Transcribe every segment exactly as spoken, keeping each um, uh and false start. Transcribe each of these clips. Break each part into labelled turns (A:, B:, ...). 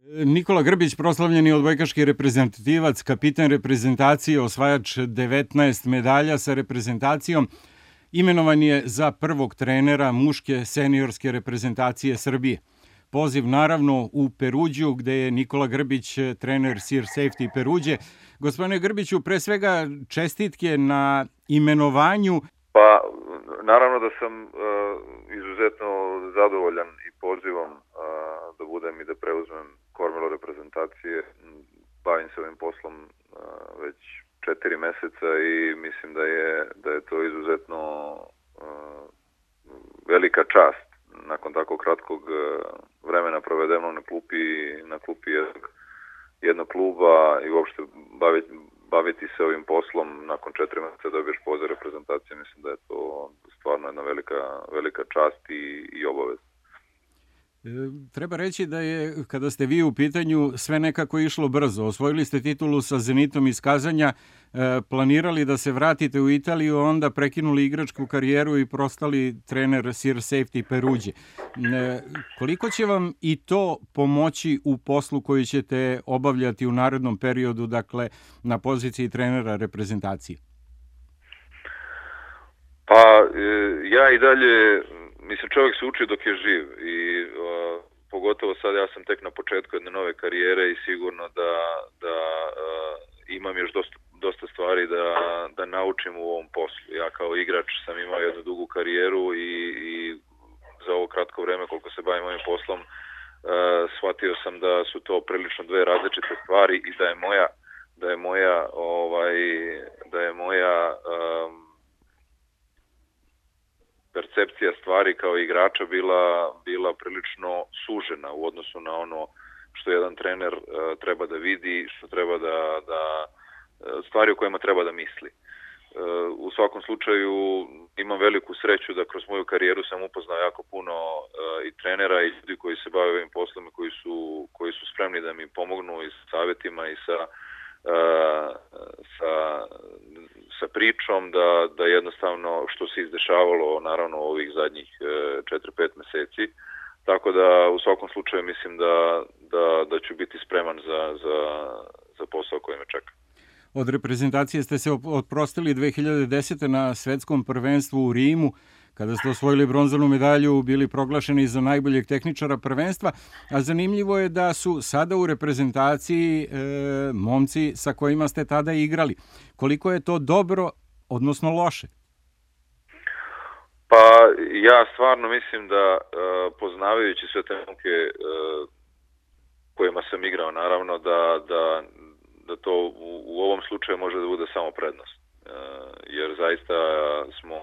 A: Nikola Grbić, proslavljeni odbojkaški reprezentativac, kapitan reprezentacije, osvajač devetnaest medalja sa reprezentacijom, imenovan je za prvog trenera muške seniorske reprezentacije Srbije. Poziv naravno u Peruđu, gde je Nikola Grbić trener Sir Safety Peruđe. Gospodine Grbiću, pre svega čestitke na imenovanju.
B: Pa, naravno da sam uh, izuzetno zadovoljan i pozivom uh, da budem i da preuzmem kormilo reprezentacije. Bavim se ovim poslom uh, već četiri meseca i mislim da je, da je to izuzetno uh, velika čast nakon tako kratkog uh, vremena provedeno na klupi, na klupi jednog, jednog kluba i uopšte baviti, baviti se ovim poslom nakon četiri meseca dobiješ poziv reprezentacije. Mislim da je to stvarno jedna velika, velika čast i, i obavez.
A: Treba reći da je, kada ste vi u pitanju, sve nekako išlo brzo. Osvojili ste titulu sa Zenitom iz Kazanja, planirali da se vratite u Italiju, onda prekinuli igračku karijeru i postali trener Sir Safety Peruđe. Koliko će vam i to pomoći u poslu koji ćete obavljati u narednom periodu, dakle, na poziciji trenera reprezentacije?
B: Pa, ja i dalje... Mislim, čovjek se uči dok je živ i uh, pogotovo sad ja sam tek na početku jedne nove karijere i sigurno da, da uh, imam još dosta, dosta stvari da, da naučim u ovom poslu. Ja kao igrač sam imao jednu dugu karijeru i, i za ovo kratko vreme koliko se bavim ovim poslom uh, shvatio sam da su to prilično dve različite stvari i da je moja, da je moja, ovaj, da je moja um, percepcija stvari kao igrača bila, bila prilično sužena u odnosu na ono što jedan trener uh, treba da vidi, što treba da, da stvari o kojima treba da misli. Uh, u svakom slučaju imam veliku sreću da kroz moju karijeru sam upoznao jako puno uh, i trenera i ljudi koji se bave ovim poslom i koji su, koji su spremni da mi pomognu i sa savjetima i sa Uh, sa, sa pričom da, da jednostavno što se izdešavalo naravno ovih zadnjih četiri pet meseci, tako da u svakom slučaju mislim da, da, da ću biti spreman za, za, za posao koji me čeka.
A: Od reprezentacije ste se oprostili dve hiljade desete. na svetskom prvenstvu u Rimu, kada ste osvojili bronzanu medalju, bili proglašeni za najboljeg tehničara prvenstva, a zanimljivo je da su sada u reprezentaciji e, momci sa kojima ste tada igrali. Koliko je to dobro, odnosno loše?
B: Pa ja stvarno mislim da e, poznavajući sve te momke e, kojima sam igrao, naravno da, da, da to u, u ovom slučaju može da bude samo prednost. E, jer zaista smo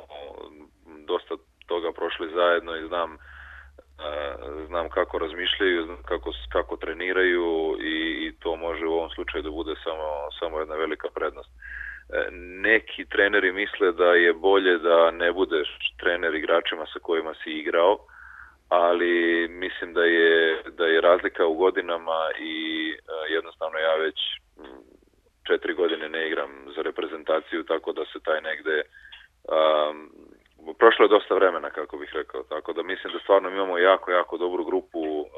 B: dosta toga prošli zajedno i znam, uh, znam kako razmišljaju, znam kako, kako treniraju i, i to može u ovom slučaju da bude samo, samo jedna velika prednost. Uh, neki treneri misle da je bolje da ne budeš trener igračima sa kojima si igrao, ali mislim da je, da je razlika u godinama i uh, jednostavno ja već četiri godine ne igram za reprezentaciju, tako da se taj negde um, prošlo je dosta vremena, kako bih rekao, tako da mislim da stvarno imamo jako, jako dobru grupu uh,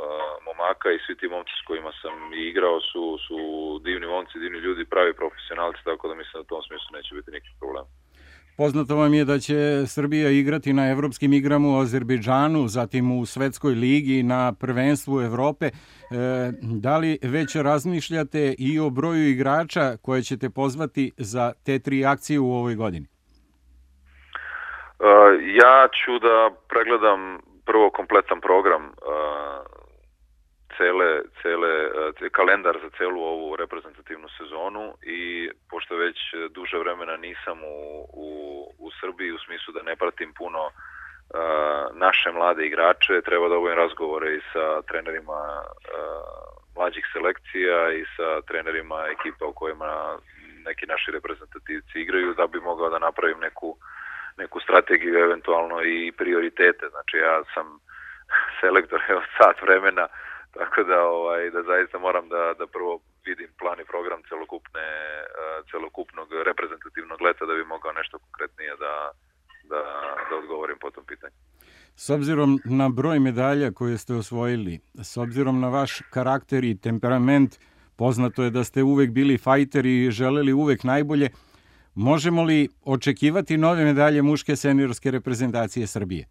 B: momaka i svi ti momci s kojima sam igrao su, su divni momci, divni ljudi, pravi profesionalci, tako da mislim da u tom smislu neće biti nikakvih problema.
A: Poznato vam je da će Srbija igrati na evropskim igrama u Azerbejdžanu, zatim u Svetskoj ligi, na prvenstvu Evrope. E, da li već razmišljate i o broju igrača koje ćete pozvati za te tri akcije u ovoj godini?
B: Uh, ja ću da pregledam prvo kompletan program, uh, cele, cele, uh, kalendar za celu ovu reprezentativnu sezonu i pošto već duže vremena nisam u, u, u Srbiji u smislu da ne pratim puno uh, naše mlade igrače, treba da obavim razgovore i sa trenerima uh, mlađih selekcija i sa trenerima ekipa u kojima neki naši reprezentativci igraju da bi mogao da napravim neku neku strategiju, eventualno i prioritete. Znači ja sam selektor od sat vremena, tako da ovaj da zaista moram da da prvo vidim plan i program celokupne celokupnog reprezentativnog leta da bi mogao nešto konkretnije da da da odgovorim po tom pitanju.
A: S obzirom na broj medalja koje ste osvojili, s obzirom na vaš karakter i temperament, poznato je da ste uvek bili fajter i želeli uvek najbolje, možemo li očekivati nove medalje muške seniorske reprezentacije Srbije?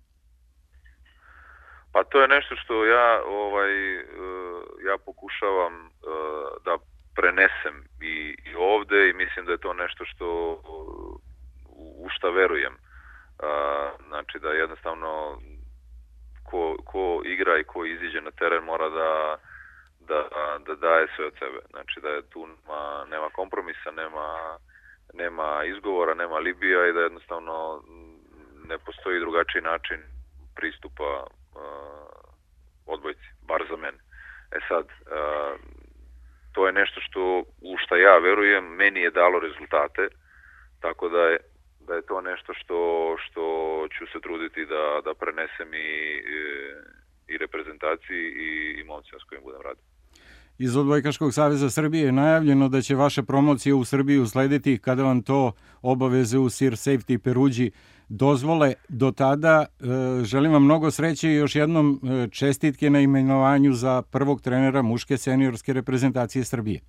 B: Pa to je nešto što ja ovaj ja pokušavam da prenesem i, i ovde i mislim da je to nešto što u šta verujem. Znači da jednostavno ko, ko igra i ko iziđe na teren mora da, da, da daje sve od sebe. Znači da je tu nema, nema kompromisa, nema, nema izgovora, nema libija i da jednostavno ne postoji drugačiji način pristupa uh, odbojci, bar za mene. E sad, uh, to je nešto što u šta ja verujem, meni je dalo rezultate, tako da je da je to nešto što, što ću se truditi da, da prenesem i, i reprezentaciji i, i momcima s kojim budem radio.
A: Iz Odbojkaškog saveza Srbije je najavljeno da će vaša promocija u Srbiji uslediti kada vam to obaveze u Sir Safety Peruđi dozvole. Do tada želim vam mnogo sreće i još jednom čestitke na imenovanju za prvog trenera muške seniorske reprezentacije Srbije.